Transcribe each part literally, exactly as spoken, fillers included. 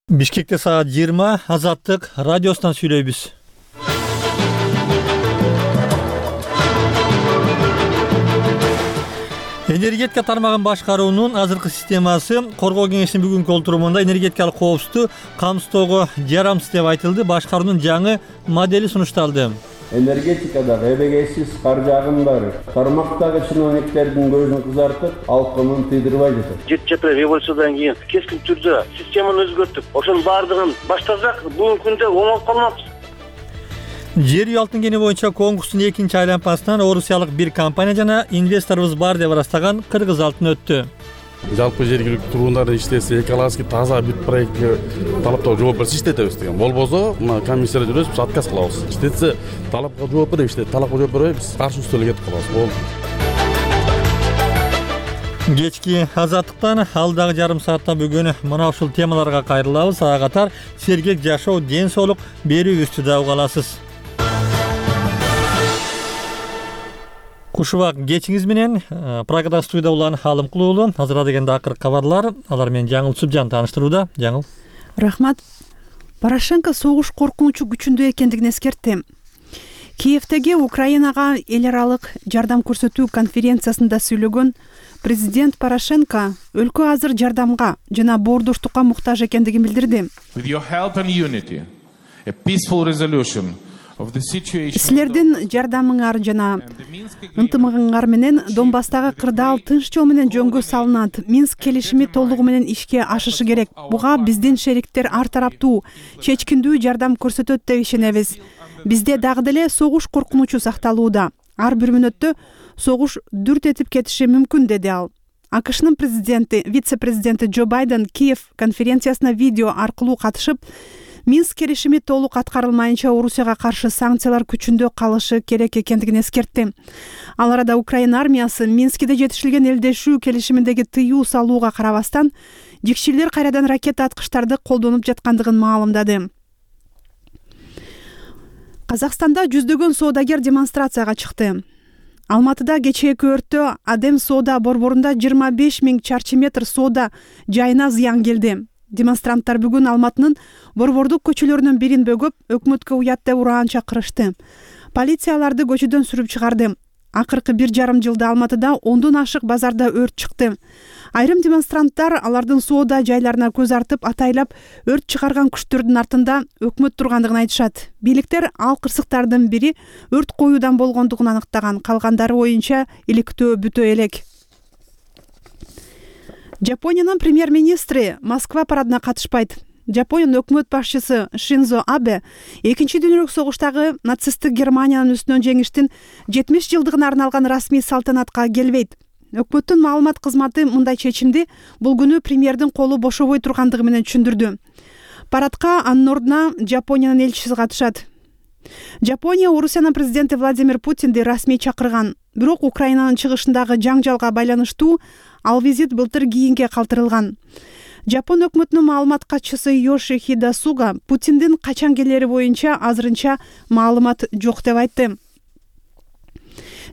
Бишкекте саат жыйырма, Азаттык радиосунан сүйлөйбүз. Энергетика тармагын башкаруунун азыркы системасы Коргоо кеңешинин бүгүнкү олтурумунда энергетикалык коопсуздукту камсыздоого жарамсыз деп айтылды. Башкаруунун жаңы модели сунушталды. Энергетикадагы эбегейсиз каржы агымдары тармактагы чиновниктердин көзүн кызартып, алкымын тыйдырбай жатат. жети жапыра революциядан кийин кескин түрдө системаны өзгөртүп, ошонун баардыгын баштасак, бүгүнкү күндө оңолуп калмакпыз. Жер үй алтын кени боюнча конкурстун экинчи айланмасынан орусиялык бир компания жана инвесторубуз бар деп ырастаган Кыргыз алтын өттү. Жалпы жергиликтүү тургундар иштесе, экологически таза бүт проектке талаптарга жооп берсе иштетебиз деген. Болбосо, мына комиссияда жүрөбүз, биз отказ кылабыз. Иштетсе, талапка жооп берип иштейт, талапка жооп бербей биз каршы үстөлгө кетип калабыз. Болду. Кечки Азаттыктан алдагы жарым саатта бүгүн мына ушул темаларга кайрылабыз. Ага катар сергек жашоо, ден соолук берүүбүздү да уга аласыз. Кушубак кечиңиз менен программа студияда улан Алымкул уулу. Азыр дегенде акыркы кабарлар. Алар менен Жаңыл Субжан тааныштырууда. Жаңыл. Рахмат. Порошенко согуш коркунучу күчүндө экендигин эскертти. Киевдеги Украинага эл аралык жардам көрсөтүү конференциясында сүйлөгөн президент Порошенко өлкө азыр жардамга жана боордоштукка муктаж экендигин билдирди. Силердин жардамыңар жана ынтымагыңар менен Донбасстагы кырдаал тынч жол менен жөнгө салынат. Минск келишими толугу менен ишке ашышы керек. Буга биздин шериктер ар тараптуу, чечкиндүү жардам көрсөтөт деп ишенебиз. Бизде дагы деле согуш коркунучу сакталууда. Ар бир мүнөттө согуш дүрт этип кетиши мүмкүн, деди ал. АКШнын президенти, вице-президенти Джо Байден Киев конференциясына видео аркылуу катышып, Минск келишими толук аткарылмайынча Орусияга каршы санкциялар күчүндө калышы керек экендигин эскертти. Ал арада Украина армиясы Минскиде жетишилген элдешүү келишиминдеги тыюу салууга карабастан, жикчилер кайрадан ракета аткычтарды колдонуп жаткандыгын маалымдады. Казакстанда жүздөгөн соодагер демонстрацияга чыкты. Алматыда кечээки өрттө Адем соода борборунда жыйырма беш миң чарчы метр соода жайына зыян келди. Демонстранттар бүгүн Алматынын борбордук көчөлөрүнүн бирин бөгөп, өкмөткө уят деп ураан чакырышты. Полицияларды көчөдөн сүрүп чыгарды. Акыркы бир жарым жылда Алматыда ондон ашык базарда өрт чыкты. Айрым демонстранттар алардын соода жайларына көз артып, атайлап өрт чыгарган күчтөрдүн артында өкмөт тургандыгын айтышат. Бийликтер ал кырсыктардын бири өрт коюудан болгондугун аныктаган, калгандары оюнча иликтөө бүтө элек. Жапониянын премьер-министри Москва парадына катышпайт. Жапониянын өкмөт башчысы Шинзо Абе экинчи дүйнөлүк согуштагы нацисттик Германиянын үстүнөн жеңиштин жетимиш жылдыгына арналган расмий салтанатка келбейт. Өкмөттүн маалымат кызматы мындай чечимди бул күнү премьердин колу бошобой тургандыгы менен түшүндүрдү. Парадка анын ордуна Жапониянын элчиси катышат. Жапония Орусиянын президенти Владимир Путинди расмий чакырган. Бирок Украинанын чыгышындагы жаңжалга байланыштуу ал визит былтыр кийинге калтырылган. Жапон өкмөтүнүн маалымат катчысы Йошихиде Суга Путиндин качан келери боюнча азырынча маалымат жок деп айтты.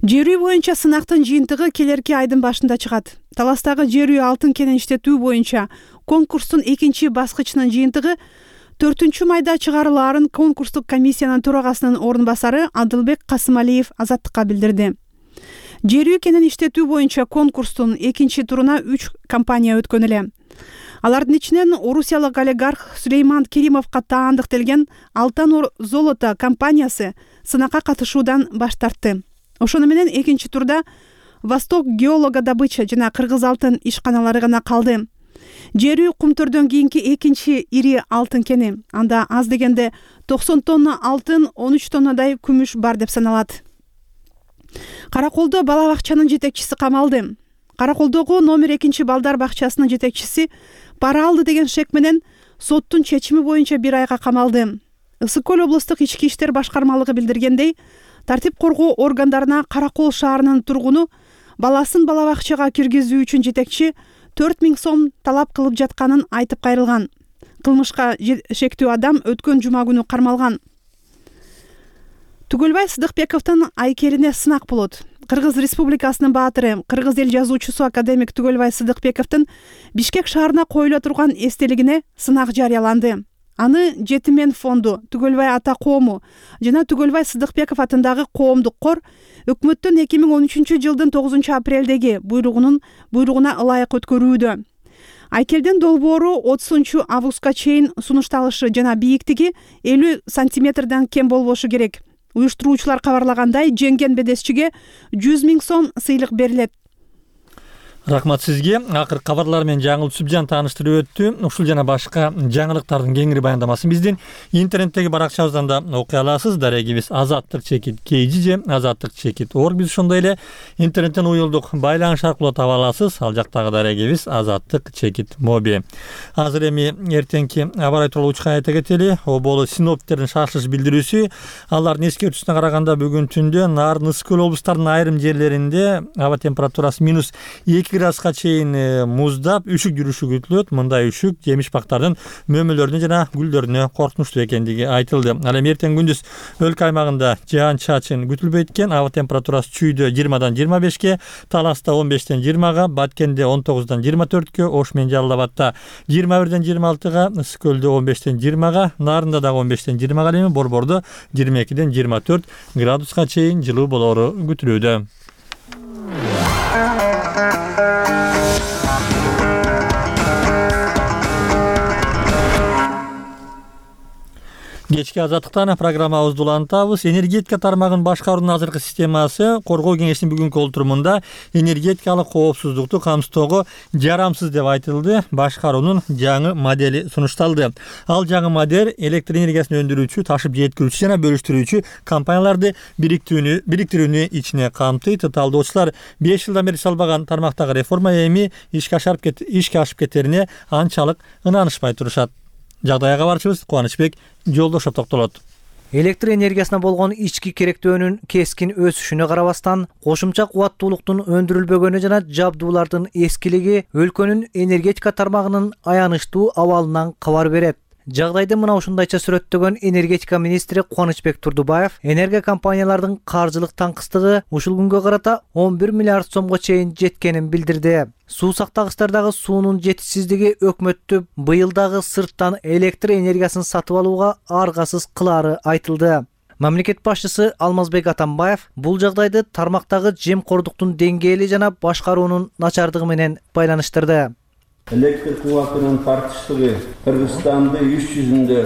Жер үй боюнча сынактын жыйынтыгы келерки айдын башында чыгат. Таластагы жер үй алтын кенин иштетүү боюнча конкурстун экинчи баскычынын жыйынтыгы төртүнчү майда чыгарылаарын конкурстук комиссиянын төрагасынын орун басары Адылбек Касымалиев Азаттыкка билдирди. Жер үй кенин иштетүү боюнча конкурстун экинчи туруна үч компания өткөн эле. Алардын ичинен орусиялык олигарх Сулейман Керимовго таандыктелген Алтан Золото компаниясы сынакка катышуудан баш тартты. Ошону менен экинчи турда Восток геологодобыча жана Кыргыз алтын ишканалары гана калды. Жер үй кумтөрдөн кийинки экинчи ири алтын кени. Анда аз дегенде токсон тонна алтын, он үч тоннадай күмүш бар деп саналат. Караколдо бала бакчанын жетекчиси камалды. Караколдогу номер экинчи балдар бакчасынын жетекчиси пара алды деген шек менен соттун чечими боюнча бир айга камалды. Ысык көл облустук ички иштер башкармалыгы билдиргендей, тартип коргоо органдарына Каракол шаарынын тургуну баласын бала бакчага киргизүү үчүн жетекчи төрт миң сом талап кылып жатканын айтып кайрылган. Кылмышка шектүү адам өткөн жума күнү кармалган. Түгөлбай Сыдыкбековдун айкелине сынак болот. Кыргыз Республикасынын баатыры, кыргыз эл жазуучусу академик Түгөлбай Сыдыкбековдун Бишкек шаарына коюла турган эстелигине сынак жарыяланды. Аны Жетимен фонду, Түгөлбай ата коому жана Түгөлбай Сыдыкбеков атындагы коомдук кор өкмөттүн эки миң он үчүнчү жылдын тогузунчу апрелдеги буйругунун буйругуна ылайык өткөрүүдө. Айкелдин долбоору отузунчу августка чейин сунушталышы жана бийиктиги элүү сантиметрден кем болбошу керек. Уюштуруучулар кабарлагандай, жеңген бедесчиге жүз миң сом сыйлык берилет. Рахмат сизге. Акыр кабарлар менен жаңыл Сүбжан тааныштырып өттү. Ушул жана башка жаңылыктардын кеңири баяндамасын биздин интернеттеги баракчабыздан да окуй аласыз. Дарегибиз азаттык чекит kg же азаттык чекит org. Биз ошондой эле интернеттен уюлдук байланыш аркылуу таба аласыз. Ал жактагы дарегибиз азаттык чекит моби. Азыр эми эртеңки аба ырайы тууралуу учка айта кетели. Оболу синоптиктердин шашылыш билдирүүсү. Алардын эскертүүсүнө караганда бүгүн түндө Нарын, Ысык көл облустарынын айрым жерлеринде аба температурасы минус эки градуска чейин муздап, үшүк жүрүшү күтүлөт. Мындай үшүк жемиш бактардын мөмөлөрүнө жана гүлдөрүнө коркунучтуу экендиги айтылды. Ал эми эртең күндүз өлкө аймагында жаан чачын күтүлбөйт экен. Аба температурасы Чүйдө жыйырмадан жыйырма бешке, Таласта он бештен жыйырмага, Баткенде он тогуздан жыйырма төрткө, Ош менен Жалал абадта жыйырма бирден жыйырма алтыга, Ысык көлдө он бештен жыйырмага, Нарында дагы он бештен жыйырмага, эми Борбордо жыйырма экиден жыйырма төрт градуска чейин жылуу болору күтүлүүдө. Кечки азаттыктан программабызды улантабыз. Энергетика тармагын башкаруунун азыркы системасы коргоо кеңешинин бүгүнкү олтурумунда энергетикалык коопсуздукту камсыздоого жарамсыз деп айтылды. Башкаруунун жаңы модели сунушталды. Ал жаңы модель электр энергиясын өндүрүүчү, ташып жеткирүүчү жана бөлүштүрүүчү компанияларды бириктирүүнү бириктирүүнү ичине камтыйт. Талдоочулар беш жылдан бери салбаган тармактагы реформа эми ишке ашып кет ишке ашып кетерине анчалык ынанышпай турушат. Жагдайга кабарчыбыз Кубанычбек Жолдошов токтолот. Электр энергиясына болгон ички керектөөнүн кескин өсүшүнө карабастан, кошумча кубаттуулуктун өндүрүлбөгөнү жана жабдуулардын эскилиги өлкөнүн энергетика тармагынын аянычтуу абалынан кабар берет. Жагдайды мына ушундайча сүрөттөгөн энергетика министри Кубанычбек Турдубаев энергия компаниялардын каржылык таңкыстыгы ушул күнгө карата он бир миллиард сомго чейин жеткенин билдирди. Суу сактагычтардагы суунун жетишсиздиги өкмөттү быйыл дагы сырттан электр энергиясын сатып алууга аргасыз кылаары айтылды. Мамлекет башчысы Алмазбек Атамбаев бул жагдайды тармактагы жемкордуктун деңгээли жана башкаруунун начардыгы менен байланыштырды. Электр кубатынын тартыштыгы Кыргызстанды үч жүзүндө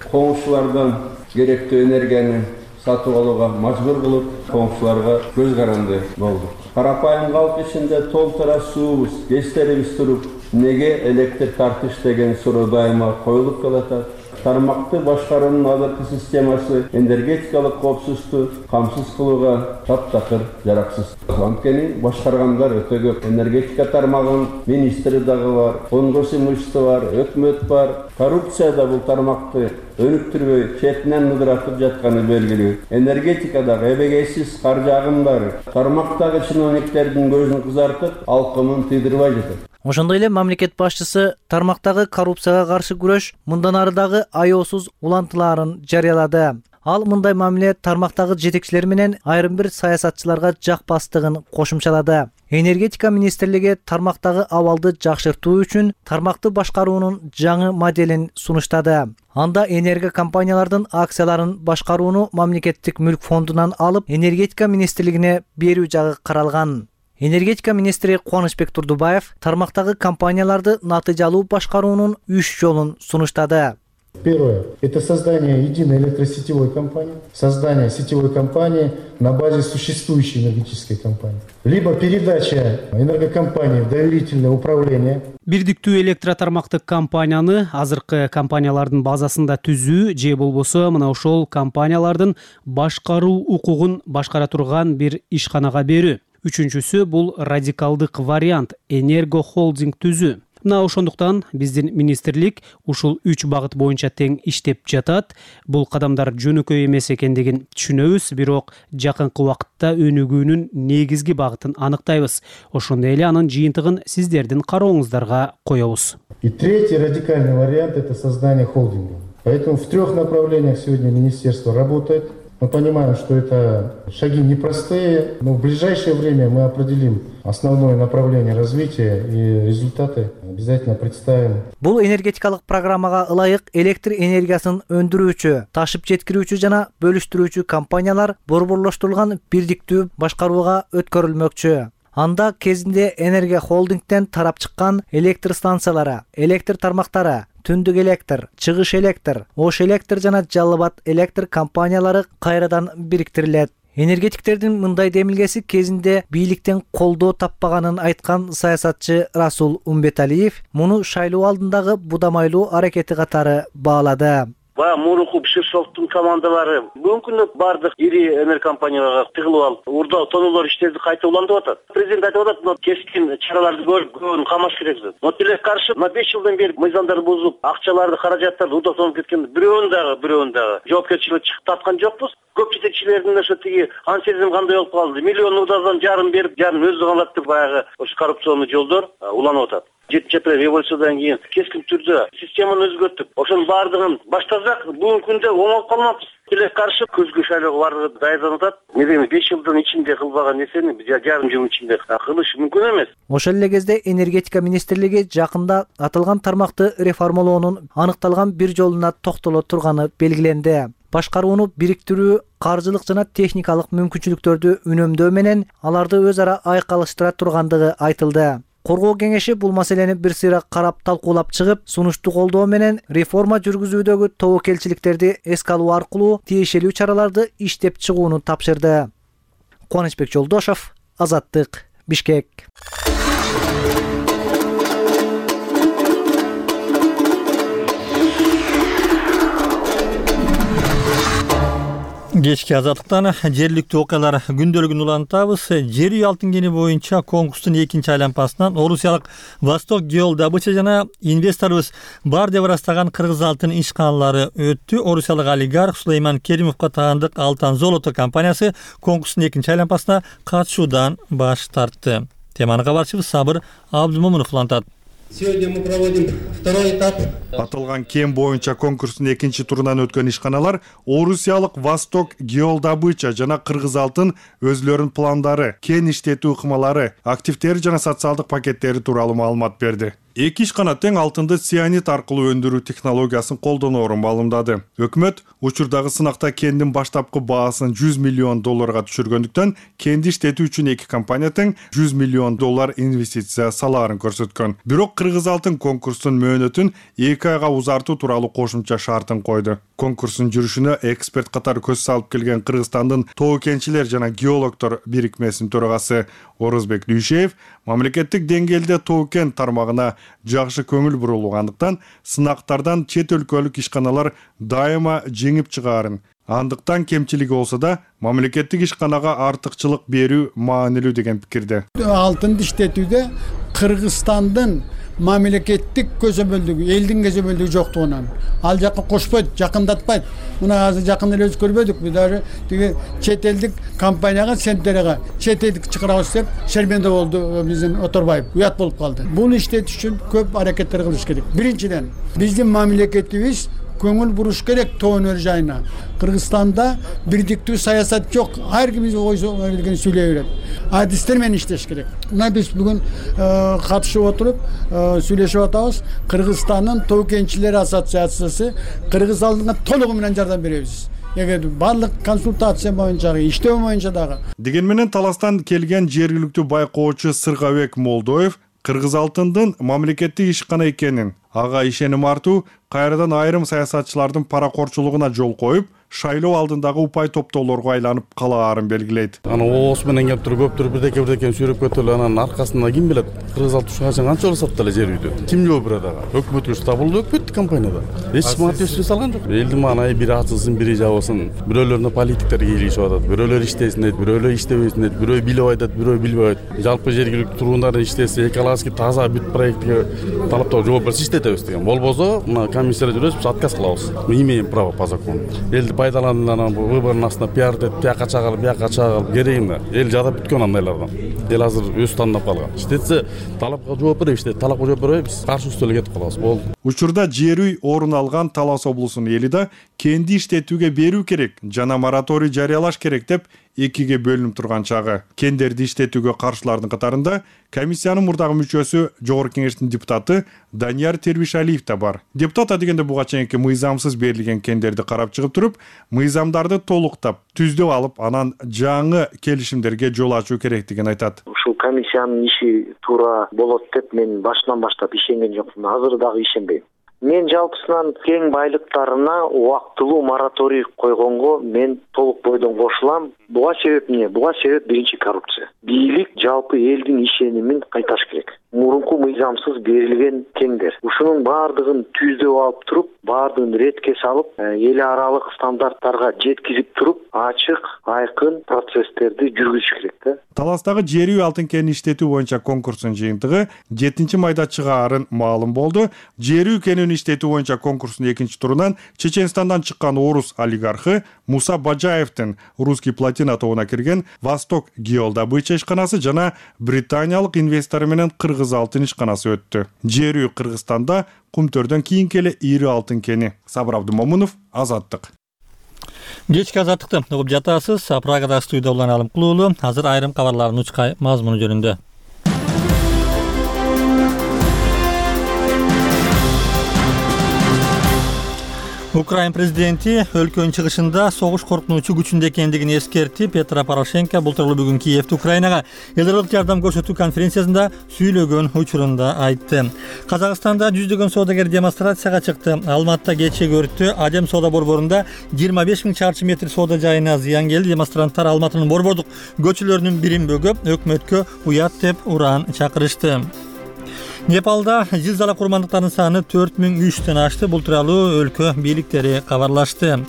коңшулардан керектүү энергияны сатып алууга мажбур кылып, коңшуларга көз каранды болду. Карапайым калк ичинде толтура суубуз, гэстерибиз туруп, неге электр тартыш деген суроо дайыма коюлуп калат. Тармакты башкаруунун азыркы системасы энергетикалык коопсуздукту камсыз кылууга таптакыр жараксыз. Анткени башкаргандар өтө көп. Энергетика тармагынын министри дагы бар, конгресс имущество бар, өкмөт бар. Коррупция да бул тармакты өнүктүрбөй, четинен ыдыратып жатканы белгилүү. Энергетикадагы эбегейсиз каржы агымдары тармактагы чиновниктердин көзүн кызартып, алкымын тыйдырбай жатат. Ошондой эле мамлекет башчысы тармактагы коррупцияга каршы күрөш мындан ары дагы аеосуз улантылаарын жарыялады. Ал мындай мамиле тармактагы жетекчилер менен айрым бир саясатчыларга жакпастыгын кошумчалады. Энергетика министрлиги тармактагы абалды жакшыртуу үчүн тармакты башкаруунун жаңы моделин сунуштады. Анда энергия компаниялардын акцияларын башкарууну мамлекеттик мүлк фондунан алып, энергетика министрлигине берүү жагы каралган. Энергетика министри Кубанычбек Турдубаев тармактагы компанияларды натыйжалуу башкаруунун үч жолун сунуштады. Первое – это создание единой электросетевой компании, создание сетевой компании на базе существующей энергетической компании, либо передача энергокомпании в доверительное управление. Бирдиктүү электротармактык компанияны азыркы компаниялардын базасында түзүү же болбосо мына ошол компаниялардын башкаруу укугун башкара турган бир ишканага берүү. Үчүнчүсү бул радикалдык вариант энерго холдинг түзүү. Мына ошондуктан биздин министрлик ушул үч багыт боюнча тең иштеп жатат. Бул кадамдар жөнөкөй эмес экендигин түшүнөбүз, бирок жакынкы убакытта өнүгүүнүн негизги багытын аныктайбыз. Ошондой эле анын жыйынтыгын сиздердин карооңуздарга коебуз. И третий радикальный вариант – это создание холдинга. Поэтому в трех направлениях сегодня министерство работает. Мы понимаем, что это шаги непростые, но в ближайшее время мы определим основное направление развития и результаты обязательно представим. Бул энергетикалык программага ылайык электр энергиясын өндүрүүчү, ташып жеткирүүчү жана бөлүштүрүүчү компаниялар борборлоштурулган бирдиктүү башкарууга өткөрүлмөкчү. Анда кезинде Энергия холдингден тарап чыккан электр станциялары, электр тармактары, Түндүк электр, Чыгыш электр, Ош электр жана Жалал Абад электр компаниялары кайрадан бириктирилет. Энергетиктердин мындай демилгеси кезинде бийликтен колдоо таппаганын айткан саясатчы Расул Умбеталиев муну шайлоо алдындагы будамайлуу аракети катары баалады. Баягы Муруху Биширшовдун командалары бүгүнкү күндө бардык ири энергокомпанияларга тыгылып алып, урда тоноолор иштерди кайта улантып атат. Президент айтып атат, мына кескин чараларды көрүп, көбүн камаш керек деп. Но тилекке каршы мына беш жылдан бери мыйзамдарды бузуп, акчаларды, каражаттарды урда тонуп кеткен бирөөнүн дагы, бирөөнүн дагы жоопкерчиликке чыгып таткан жокпуз. Көп жетекчилердин ошо тиги ансезим кандай болуп калды. Миллион удадан жарым берип, жарым өзү калат деп баягы ошо коррупционный жолдор уланып атат. жетинчи апрель революциядан кийин кескин түрдө системаны өзгөртүп, ошонун баардыгын баштасак, бүгүнкү күндө оңолуп калмакпыз. Тилекке каршы көзгө шайлоого бардыгы даярданып атат. Медеме беш жылдын ичинде кылбаган нерсени жарым жылдын ичинде кылыш мүмкүн эмес. Ошол эле кезде энергетика министрлиги жакында аталган тармакты реформалоонун аныкталган бир жолуна токтоло турганы белгиленди. Башкарууну бириктирүү, каржылык жана техникалык мүмкүнчүлүктөрдү үнөмдөө менен аларды өз ара айкалыштыра тургандыгы айтылды. Коргоо кеңеши бул маселени бир сыйра карап талкуулап чыгып, сунушту колдоо менен реформа жүргүзүүдөгү тобокелчиликтерди эске алуу аркылуу тиешелүү чараларды иштеп чыгууну тапшырды. Кубанычбек Жолдошов, Азаттык, Бишкек. Кечки Азаттыктан жергиликтүү окуялар күндөлүгүн улантабыз. Жер үй алтын кени боюнча конкурстун экинчи айланпасынан орусиялык Восток Геолдобыча жана инвесторубуз бар деп ырастаган кыргыз алтын ишканалары өттү. Орусиялык олигарх Сулейман Керимовго таандык Алтан Золото компаниясы конкурстун экинчи айланпасына катышуудан баш тартты. Теманы кабарчыбыз Сабыр Абдумомунов улантат. Сегодня мы проводим второй этап. Аталган кен боюнча конкурстун экинчи турунан өткөн ишканалар орусиялык Восток Геолдобыча жана Кыргыз алтын өзлөрүнүн пландары, кен иштетүү ыкмалары, активдери жана социалдык пакеттери тууралуу маалымат берди. Эки ишкана тең алтынды цианид аркылуу өндүрүү технологиясын колдоноорун маалымдады. Өкмөт учурдагы сынакта кендин баштапкы баасын жүз миллион долларга түшүргөндүктөн кенди иштетүү үчүн эки компания тең жүз миллион доллар инвестиция салаарын көрсөткөн. Бирок Кыргыз алтын конкурстун мөөнөтүн эки айга узартуу тууралуу кошумча шартын койду. Конкурстун жүрүшүнө эксперт катары көз салып келген Кыргызстандын тоо кенчилер жана геологдор бирикмесинин төрагасы Орозбек Дүйшеев мамлекеттик деңгээлде тоо кен тармагына жакшы көңүл бурулгандыктан сынактардан чет өлкөлүк ишканалар дайыма жеңип чыгаарын, андыктан кемчилиги болсо да мамлекеттик ишканага артыкчылык берүү маанилүү деген пикирде. Алтынды иштетүүдө Кыргызстандын мамлекеттик көзөмөлдүгү, элдин көзөмөлдүгү жоктугунан ал жакка кошпойт, жакындатпайт. Мына азыр жакын эле өз көрбөдүкпү, даже тиги чет элдик компанияга, Сентерага чет элдик чыгарабыз деп шерменде болду биздин Оторбаев. Уят болуп калды. Буну иштетиш үчүн көп аракеттер кылыш керек. Биринчиден, биздин мамлекетибиз көңүл буруш керек тоо өнөр жайына. Кыргызстанда бирдиктүү саясат жок. Ар ким ойсо келген сүйлөй берет. Адистер менен иштеш керек. Мына биз бүгүн катышып отуруп сүйлөшүп атабыз. Кыргызстандын тоо кенчилер ассоциациясы Кыргыз алтынга толугу менен жардам беребиз. Эгер барлык консультация боюнча, иштөө боюнча дагы. Деген менен таластан келген жергиликтүү байкоочу Сыргабек Молдоев Кыргыз алтындын мамлекеттик ишкана экенин, ага ишеним артуу кайрадан айрым саясатчылардын паракорчулугуна жол коюп, шайлоо алдындагы упай топтоолорго айланып калаарын белгилейт. Аны оос менен кеп туруп көптүр бирдеке бирдеке сүйрөп кетип анан аркасында ким билет, Кыргыз алтын ушунча канча сатты эле жер үйдү. Ким жооп берет ага? Өкмөт үч табылды, өкмөттүк компанияда. Эч ким ответственность салган жок. Элдин маанай бири ачылсын, бири жабылсын. Бирөөлөрүнө политиктер кийлигишип атат. Бирөөлөр иштесин дейт, бирөөлөр иштебесин дейт, бирөө билип айтат, бирөө билбей айтат. Жалпы жергиликтүү тургундар иштесе, экологически таза бүт проектке талаптоо жооп берсе иштетебиз деген. Болбосо, мына комиссия жүрөбүз, отказ кылабыз. Мы имеем право по закону. Элди пайдаланып выбордун астына пиар деп, бияка чагылып, бияка чагылып керек эмне? Эл жадап бүткөн андайлардан. Эл азыр өз тандап калган. Иштетсе, талапка жооп беребиз, иштет, талапка жооп беребиз, каршы үстөлгө кетип калабыз. Болду. Учурда жер үй орун алган Талас облусунун эли да кенди иштетүүгө берүү керек жана мораторий жарыялаш керек деп экиге бөлүнүп турган чагы. Кендерди иштетүүгө каршылардын катарында комиссиянын мурдагы мүчөсү Жогорку Кеңештин депутаты Данияр Тербишалиев да бар. Депутат адегенде буга чейинки мыйзамсыз берилген кендерди карап чыгып туруп, мыйзамдарды толуктап, түздөп алып, анан жаңы келишимдерге жол ачуу керектигин айтат. Ушул комиссиянын иши туура болот деп мен башынан баштап ишенген жокмун. Азыр дагы ишенбейм. Мен жалпысынан кен байлыктарына убактылуу мораторий койгонго мен толук бойдон кошулам. Буга себеп эмне? Буга себеп биринчи коррупция. Бийлик жалпы элдин ишенимин кайташ керек. Мурунку мыйзамсыз берилген кендер. Ушунун баардыгын түздөп алып туруп, баардыгын ретке салып, эл аралык стандарттарга жеткизип туруп, ачык, айкын процесстерди жүргүзүш керек да. Таластагы жер үй алтын кенин иштетүү боюнча конкурстун жыйынтыгы жетинчи майда чыгаарын маалым болду. Жер үй кенин иштетүү боюнча конкурстун экинчи турунан Чеченстандан чыккан орус олигархы Муса Бажаевдин русский платина тобуна кирген Восток Геолдобыча ишканасы жана британиялык инвестор менен Кыргыз алтын ишканасы өттү. Жер үй Кыргызстанда Кумтөрдөн кийинки эле ири алтын кени. Сабыр Абдымомунов, Азаттык. Кечки Азаттыкты угуп жатасыз. Прагада студияда улан Алым Кулуулу. Азыр айрым кабарлардын учкай мазмуну жөнүндө. Украин президенти өлкөнүн чыгышында согуш коркунучу күчүндө экендигин эскертип, Петро Порошенко бултурлуу бүгүн Киевде Украинага элдик жардам көрсөтүү конференциясында сүйлөгөн учурунда айтты. Казакстанда жүздөгөн соодагер демонстрацияга чыкты. Алматта кечеги өрттө Адем соода борборунда жыйырма беш миң чарчы метр соода жайына зыян келди. Демонстранттар Алматынын борбордук көчөлөрүнүн бирин бөгөп, өкмөткө уят деп уран чакырышты. Непалда зилзала курмандыктарынын саны төрт миң үчтөн ашты. Бул тууралуу өлкө бийликтери кабарлашты.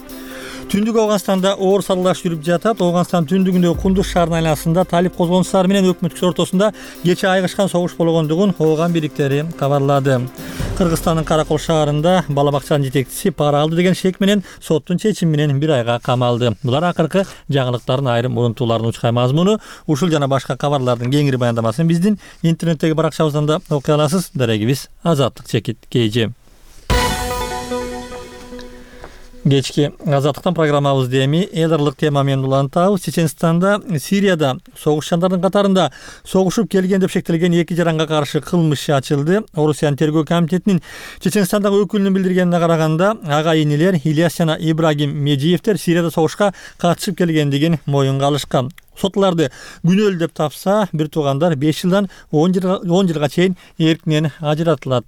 Түндүк Афганстанда оор салгылаш жүрүп жатат. Афганстан түндүгүндөгү Кундуз шаарынын айланасында талип козгончулары менен өкмөткө ортосунда кече айгышкан согуш болгондугун Афган бийликтери кабарлады. Кыргызстандын Каракол шаарында бала бакчанын жетекчиси пара алды деген шек менен соттун чечими менен бир айга камалды. Булар акыркы жаңылыктардын айрым урунтууларынын учкай мазмуну. Ушул жана башка кабарлардын кеңири баяндамасын биздин интернеттеги баракчабыздан да окуй аласыз. Дарегибиз Азаттык чекит кейжи. Кечки Азаттыктан программабызды эми эл аралык тема менен улантабыз. Чеченстанда, Сирияда согушчандардын катарында согушуп келген деп шектелген эки жаранга каршы кылмыш ачылды. Орусиянын тергөө комитетинин Чеченстандагы өкүлүнүн билдиргенине караганда, ага инилер Ильяс жана Ибрагим Меджиевдер Сирияда согушка катышып келгендигин моюнга алышкан. Сотларды күнөөлүү деп тапса, бир туугандар беш жылдан он жылга чейин эркинен ажыратылат.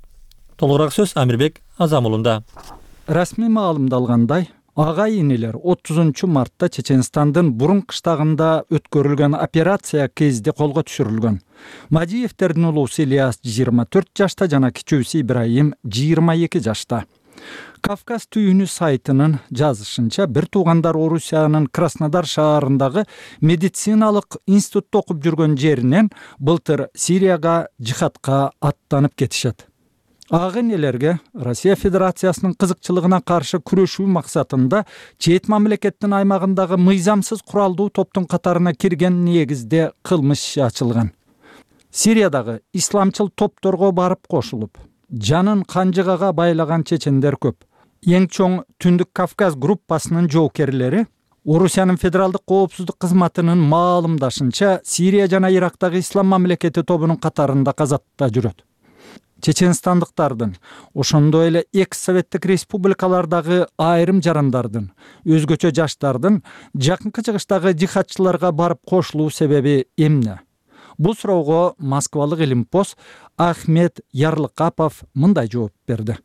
Толугураак сөз Амирбек Азамулунда. Расмий маалымдалгандай, ага инелер отузунчу мартта Чеченстандын Бурун кыштагында өткөрүлгөн операция кезде колго түшүрүлгөн. Мадиевдердин улуусу Ильяс жыйырма төрт жашта жана кичүүсү Ибрагим жыйырма эки жашта. Кавказ түйүнү сайтынын жазышынча, бир туугандар Орусиянын Краснодар шаарындагы медициналык институтта окуп жүргөн жеринен былтыр Сирияга жихадка аттанып кетишет. Ага инелерге Россия Федерациясынын кызыкчылыгына каршы күрөшүү максатында чет мамлекеттин аймагындагы мыйзамсыз куралдуу топтун катарына кирген негизде кылмыш ачылган. Сириядагы исламчыл топторго барып кошулуп, жанын канжыгага байлаган чечендер көп. Эң чоң Түндүк Кавказ группасынын жоокерлери Орусиянын федералдык коопсуздук кызматынын маалымдашынча, Сирия жана Ирактагы ислам мамлекети тобунун катарында казатта жүрөт. Чеченстандыктардын, ошондой эле экс-советтик республикалардагы айрым жарандардын, өзгөчө жаштардын жакынкы чыгыштагы жихадчыларга барып кошулуу себеби эмне? Бул суроого Москвалык Илимпоз Ахмет Ярлыкапов мындай жооп берди.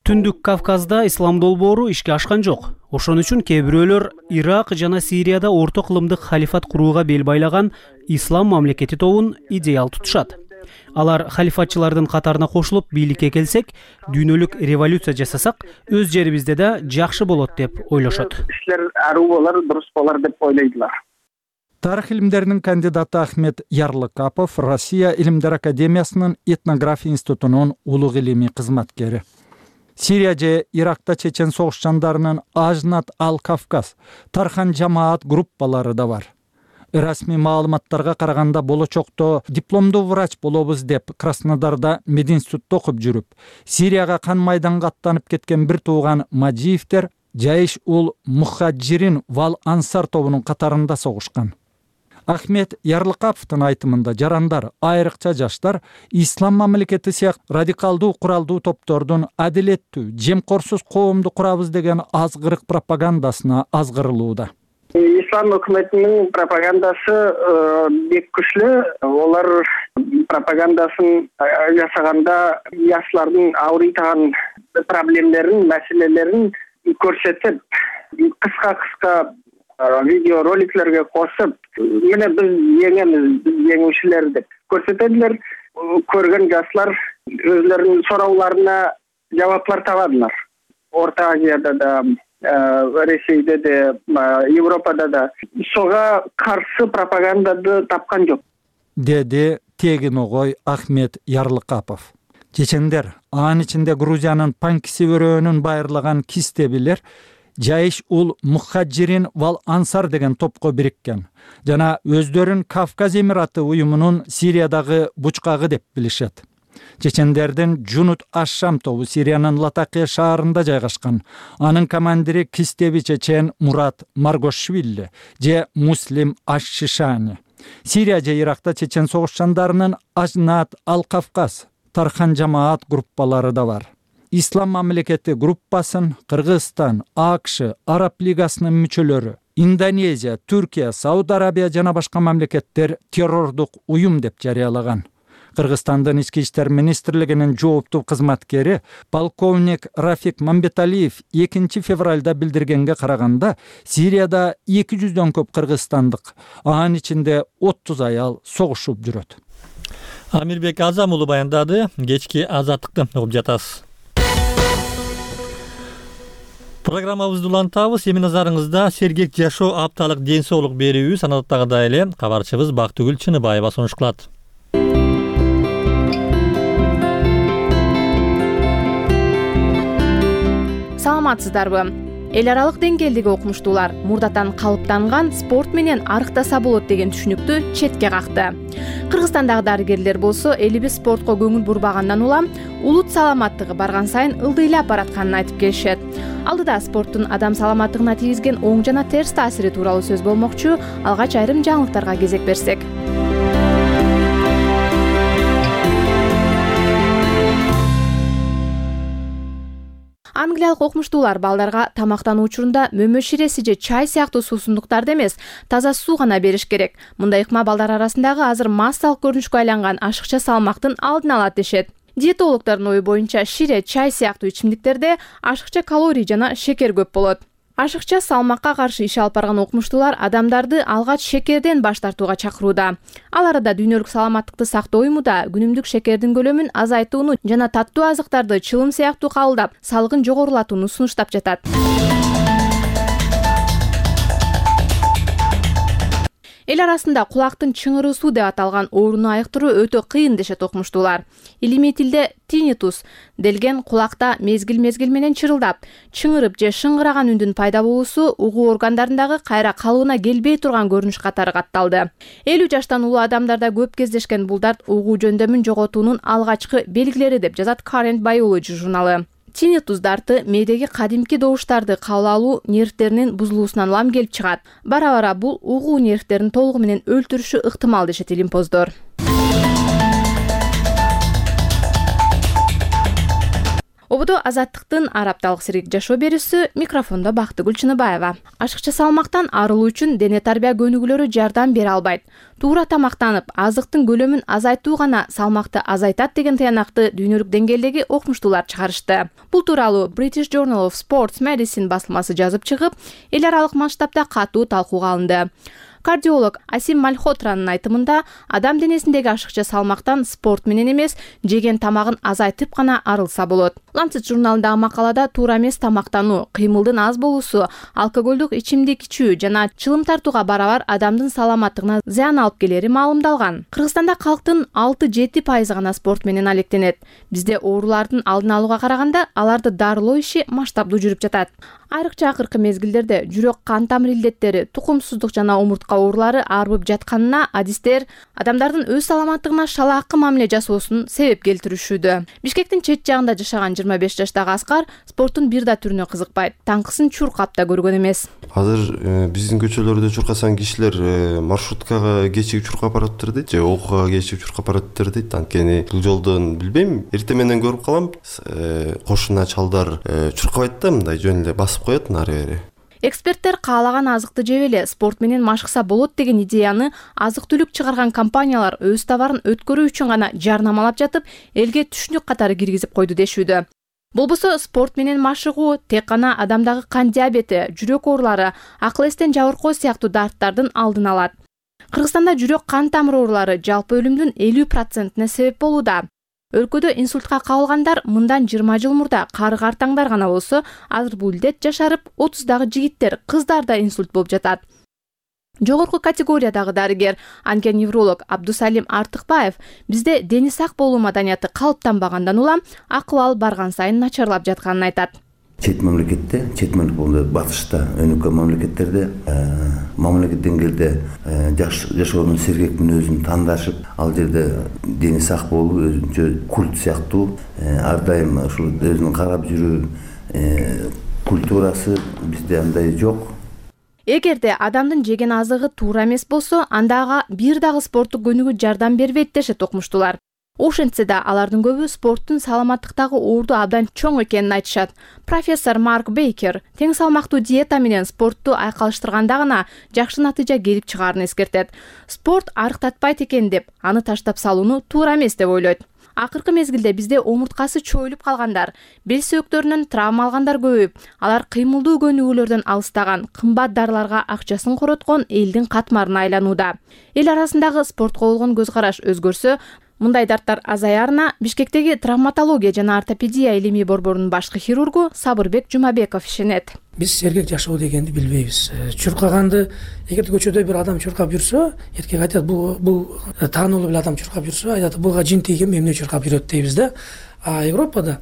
Түндүк Кавказда ислам долбоору ишке ашкан жок. Ошон үчүн кээ бирөөлөр Ирак жана Сирияда орто кылымдык халифат курууга бел байлаган ислам мамлекети тобун идеал тутушат. Алар халифатчылардын катарына кошулуп бийликке келсек, дүйнөлүк революция жасасак, өз жерибизде да жакшы болот деп ойлошот. Иштер аруу болор, дурус болор деп ойлойдулар. Тарых илимдеринин кандидаты Ахмет Ярлыкапов Россия Илимдер академиясынын этнография институтунун улуг илимий кызматкери. Сирия же Иракта чечен согушчандарынын Ажнат ал-Кавказ, Тархан жамаат группалары да бар. Расмий маалыматтарга караганда болочокто дипломдуу врач болобуз деп Краснодарда мединститутта окуп жүрүп, Сирияга кан майданга аттанып кеткен бир тууган Мажиевдер Жайш ул Мухаджирин вал Ансар тобунун катарында согушкан. Ахмет Ярлыкаповдун айтымында жарандар, айрыкча жаштар ислам мамлекети сыяктуу радикалдуу куралдуу топтордун адилеттүү, жемкорсуз коомду курабыз деген азгырык пропагандасына азгырылууда. Ислам өкмөтүнүн пропагандасы бек күчлүү. Олар пропагандасын жасаганда жаштардын ауыртаган проблемдерин, маселелерин көрсөтүп, кыска-кыска видео роликлерге косуп, мына биз жеңемиз, биз жеңүүчүлөр деп көрсөтөдүлөр. Көргөн жаштар өзлөрүнүн суроолоруна жабаптар табадылар. Орто Азияда да, Ресейде де, Европада да ошого каршы пропаганданы тапкан жок, деди тегин огой Ахмет Ярлыкапов. Чечендер, анын ичинде Грузиянын Панкиси өрөөнүн байырлаган кистебилер Жайш ул Мухаджирин вал Ансар деген топко бириккен жана өздөрүн Кавказ Эмираты уюмунун Сириядагы бучкагы деп билишет. Чечендердин Жунут Аш-Шам тобу Сириянын Латакия шаарында жайгашкан. Анын командири кистеби чечен Мурат Маргошвили же Муслим Аш-Шишани. Сирия же Иракта чечен согушчандарынын Ажнат, Ал-Кавказ, Тархан жамаат группалары да бар. Ислам мамлекети группасын Кыргызстан, АКШ, Араб лигасынын мүчөлөрү, Индонезия, Түркия, Сауд Арабия жана башка мамлекеттер террордук уюм деп жарыялаган. Кыргызстандын ички иштер министрлигинин жооптуу кызматкери полковник Рафик Мамбеталиев экинчи февралда билдиргенге караганда Сирияда эки жүздөн көп кыргызстандык, анын ичинде отуз аял согушуп жүрөт. Амирбек Азам уулу баяндады. Кечки азаттыкты угуп жатасыз. Программабызды улантабыз. Эми назарыңызда сергек жашоо апталык ден соолук берүүбүз санаттагыдай эле кабарчыбыз Бактыгүл Чыныбаева сунуш кылат. Саламатсыздарбы? Эл аралык деңгээлдеги окумуштуулар мурдатан калыптанган спорт менен арыктаса болот деген түшүнүктү четке какты. Кыргызстандагы дарыгерлер болсо элибиз спортко көңүл бурбагандан улам улут саламаттыгы барган сайын ылдыйлап баратканын айтып келишет. Алдыда спорттун адам саламаттыгына тийгизген оң жана терс таасири тууралуу сөз болмокчу. Алгач айрым жаңылыктарга кезек берсек. Англиялык окумуштуулар балдарга тамактануу учурунда мөмө ширеси же чай сыяктуу суусундуктарды эмес, таза суу гана бериш керек. Мындай ыкма балдар арасындагы азыр массалык көрүнүшкө айланган ашыкча салмактын алдын алат дешет. Диетологдордун ою боюнча шире, чай сыяктуу ичимдиктерде ашыкча калорий жана шекер көп болот. Ашыкча салмакка каршы иш алып барган окумуштуулар адамдарды алгач шекерден баш тартууга чакырууда. Ал арада дүйнөлүк саламаттыкты сактоо уюму да күнүмдүк шекердин көлөмүн азайтууну жана таттуу азыктарды чылым сыяктуу кабылдап, салыгын жогорулатууну сунуштап жатат. Эл арасында кулактын чыңырыысуу деп аталган ооруну айыктыруу өтө кыйын дешет окумуштуулар. Илимий тилде tinnitus делген кулакта мезгил-мезгил менен чырылдап, чыңырып же шыңгыраган үндүн пайда болуусу угуу органдарындагы кайра калыбына келбей турган көрүнүш катары катталды. элүү жаштан улуу адамдарда көп кездешкен бул дарт угуу жөндөмүн жоготуунун алгачкы белгилери деп жазат Current Biology журналы. Tinnitus дарты мээдеги кадимки добуштарды кабыл алуу нервтеринин бузулуусунан улам келип чыгат. Бара-бара бул угуу нервтерин толугу менен өлтүрүшү ыктымал дешет илимпоздор. Ободо азаттыктын ар апталык сергек жашоо берүүсү, микрофондо Бактыгүл Чыныбаева. Ашыкча салмактан арылуу үчүн дене тарбия көнүгүүлөрү жардам бере албайт. Туура тамактанып, азыктын көлөмүн азайтуу гана салмакты азайтат деген тыянакты дүйнөлүк деңгээлдеги окумуштуулар чыгарышты. Бул тууралуу British Journal of Sports Medicine басылмасы жазып чыгып, эл аралык масштабда катуу талкууга алынды. Кардиолог Асим Мальхотранын айтымында адам денесиндеги ашыкча салмактан спорт менен эмес, жеген тамагын азайтып гана арылса болот. Lancet журналындагы макалада туура эмес тамактануу, кыймылдын аз болуусу, алкоголдук ичимдик ичүү жана чылым тартууга барабар адамдын саламаттыгына зыян алып келери маалымдалган. Кыргызстанда калктын алты-жети пайызы гана спорт менен алектенет. Бизде оорулардын алдын алууга караганда аларды дарылоо иши масштабдуу жүрүп жатат. Айрыкча акыркы мезгилдерде жүрөк кан тамыр илдеттери, тукумсуздук жана омуртка башка оорулары арбып жатканына адистер адамдардын өз саламаттыгына шалаакы мамиле жасоосун себеп келтиришүүдө. Бишкектин чет жагында жашаган жыйырма беш жаштагы Аскар спорттун бир да түрүнө кызыкпайт. Таңкысын чуркап да көргөн эмес. Азыр биздин көчөлөрдө чуркасан кишилер маршруткага кечигип чуркап баратыптыр дейт же окууга кечигип чуркап баратыптыр дейт. Анткени бул жолдон билбейм, эртең менен көрүп калам, кошуна чалдар чуркабайт да, мындай жөн эле басып коет ары бери. Эксперттер каалаган азыкты жеп эле спорт менен машыкса болот деген идеяны азык-түлүк чыгарган компаниялар өз товарын өткөрүү үчүн гана жарнамалап жатып, элге түшүнүк катары киргизип койду дешүүдө. Болбосо спорт менен машыгуу тек гана адамдагы кан диабети, жүрөк оорулары, акыл эстен жабыркоо сыяктуу дарттардын алдын алат. Кыргызстанда жүрөк кан тамыр оорулары жалпы өлүмдүн элүү процентине себеп болууда. Өлкөдө инсультка кабылгандар мындан жыйырма жыл мурда карыгартаңдар гана болсо, азыр бул илдет жашарып, отуздагы жигиттер, кыздарда инсульт болуп жатат. Жогорку категориядагы дарыгер, онконевролог Абдусалим Артыкбаев бизде дени сак болуу маданияты калыптанбагандан улам акыбал барган сайын начарлап жатканын айтат. Чет мамлекетте, чет мамлекетте, батышта, өнүккөн мамлекеттерде мамлекет деңгээлде жашоонун сергек мүнөзүн тандашып, ал жерде дени сак болуу өзүнчө культ сыяктуу, ар дайым ушул өзүнүн карап жүрүү культурасы бизде андай жок. Эгерде адамдын жеген азыгы туура эмес болсо, анда ага бир дагы спорттук көнүгүү жардам бербейт дешет окумуштуулар. Ошентсе да алардын көбү спорттун саламаттыктагы орду абдан чоң экенин айтышат. Профессор Марк Бейкер тең салмактуу диета менен спортту айкалыштырганда гана жакшы натыйжа келип чыгаарын эскертет. Спорт арыктатпайт экен деп, аны таштап салууну туура эмес деп ойлойт. Акыркы мезгилде бизде омурткасы чоюлуп калгандар, бел сөөктөрүнөн травма алгандар көбөйүп, алар кыймылдуу көнүгүүлөрдөн алыстаган, кымбат дарыларга акчасын короткон элдин катмарына айланууда. Эл арасындагы спортко болгон көз караш өзгөрсө, мындай дарттар азаярына Бишкектеги травматология жана ортопедия илимий борборунун башкы хирургу Сабырбек Жумабеков ишенет. Биз сергек жашоо дегенди билбейбиз. Чуркаганды эгерде көчөдө бир адам чуркап жүрсө, эркек айтат, бул бул таанулуу бир адам чуркап жүрсө, айтат, буга жин тийген эмне чуркап жүрөт дейбиз да. А Европада,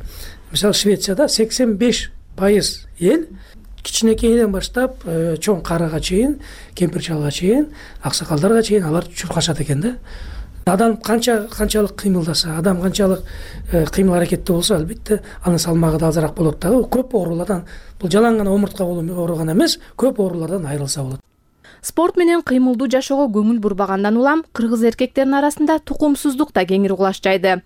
мисалы Швецияда сексен беш пайыз эл кичинекейден баштап чоң карага чейин, кемпир чалга чейин, аксакалдарга чейин алар чуркашат экен да. Адам канча канчалык кыймылдаса, адам канчалык кыймыл аракетте болсо, албетте анын салмагы да азыраак болот дагы. Көп оорулардан, бул жалаң гана омуртка оору гана эмес, көп оорулардан айрылса болот. Спорт менен кыймылдуу жашоого көңүл бурбагандан улам кыргыз эркектеринин арасында тукумсуздук да кеңири кулаш жайды.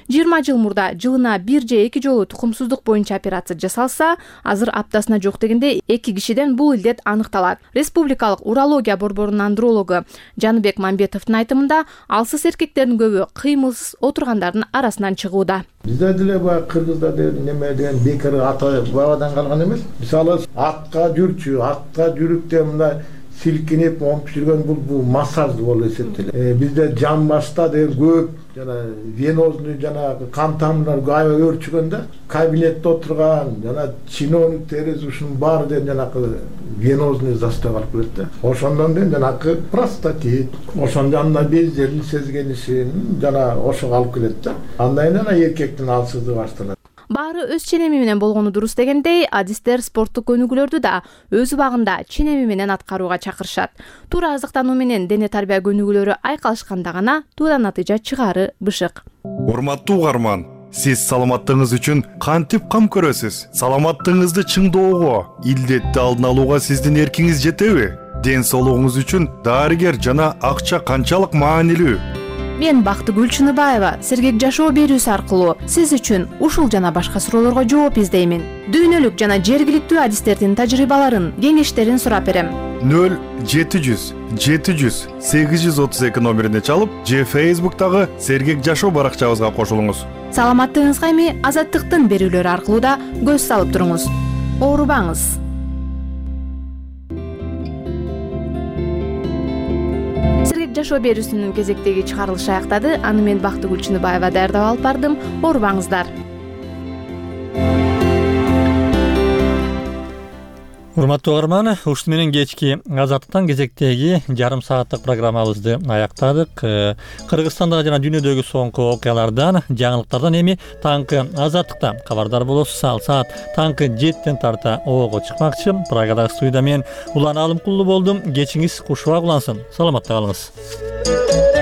жыйырма жыл мурда жылына бир же эки жолу тукумсуздук боюнча операция жасалса, азыр аптасына жок дегенде эки кишиден бул илдет аныкталат. Республикалык урология борборунун андрологу Жаныбек Мамбетовдун айтымында, алсыз эркектердин көбү кыймылсыз отургандардын арасынан чыгууда. Бизде деле баягы кыргызда неме деген бекер ата бабадан калган эмес. Мисалы атка жүрчү, атка жүрүп мындай силкинип момуп жүргөн бул бул массаж болуп эсептелет. Бизде жан башта деген көп жана венозный жана кан тамырлар аябай өөрчүгөндө кабинетте отурган жана чиновник терез ушунун баары деген жанакы венозный застой калып келет да. Ошондон деген жанакы простатит, ошонун жанына бездердин сезгенишин жана ошого алып келет да. Андан кийин ана эркектин алсыздыгы башталат. Баары өз ченеми менен болгону дурус дегендей, адистер спорттук көнүгүүлөрдү да өз убагында ченеми менен аткарууга чакырышат. Туура азыктануу менен дене тарбия көнүгүүлөрү айкалышканда гана туура натыйжа чыгаары бышык. Урматтуу угарман, сиз саламаттыгыңыз үчүн кантип кам көрөсүз? Саламаттыгыңызды чыңдоого, илдетти алдын алууга сиздин эркиңиз жетеби? Ден соолугуңуз үчүн дарыгер жана акча канчалык маанилүү? Мен Бактыгүл Чыныбаева сергек жашоо берүүсү аркылуу сиз үчүн ушул жана башка суроолорго жооп издеймин. Дүйнөлүк жана жергиликтүү адистердин тажрыйбаларын, кеңештерин сурап берем. нөл жети жүз жети жүз сегиз жүз отуз эки номерине чалып, же Facebook'тагы сергек жашоо баракчабызга кошулуңуз. Саламаттыгыңызга эми Азаттыктын берүүлөрү аркылуу да көз салып туруңуз. Оорубаңыз. Сергек жашоо берүүсүнүн кезектеги чыгарылышы аяктады. Аны мен Бактыгүл Чыныбаева даярдап алып бардым. Оорубаңыздар. Урматтуу угарман, ушуну менен кечки Азаттыктан кезектеги жарым сааттык программабызды аяктадык. Кыргызстандагы жана дүйнөдөгү соңку окуялардан, жаңылыктардан эми таңкы Азаттыкта кабардар болосуз. Ал саат таңкы жетиден тарта оого чыкмакчы. Прагадагы студияда мен Улан Алымкулуу болдум. Кечиңиз кушубак улансын. Саламатта калыңыз.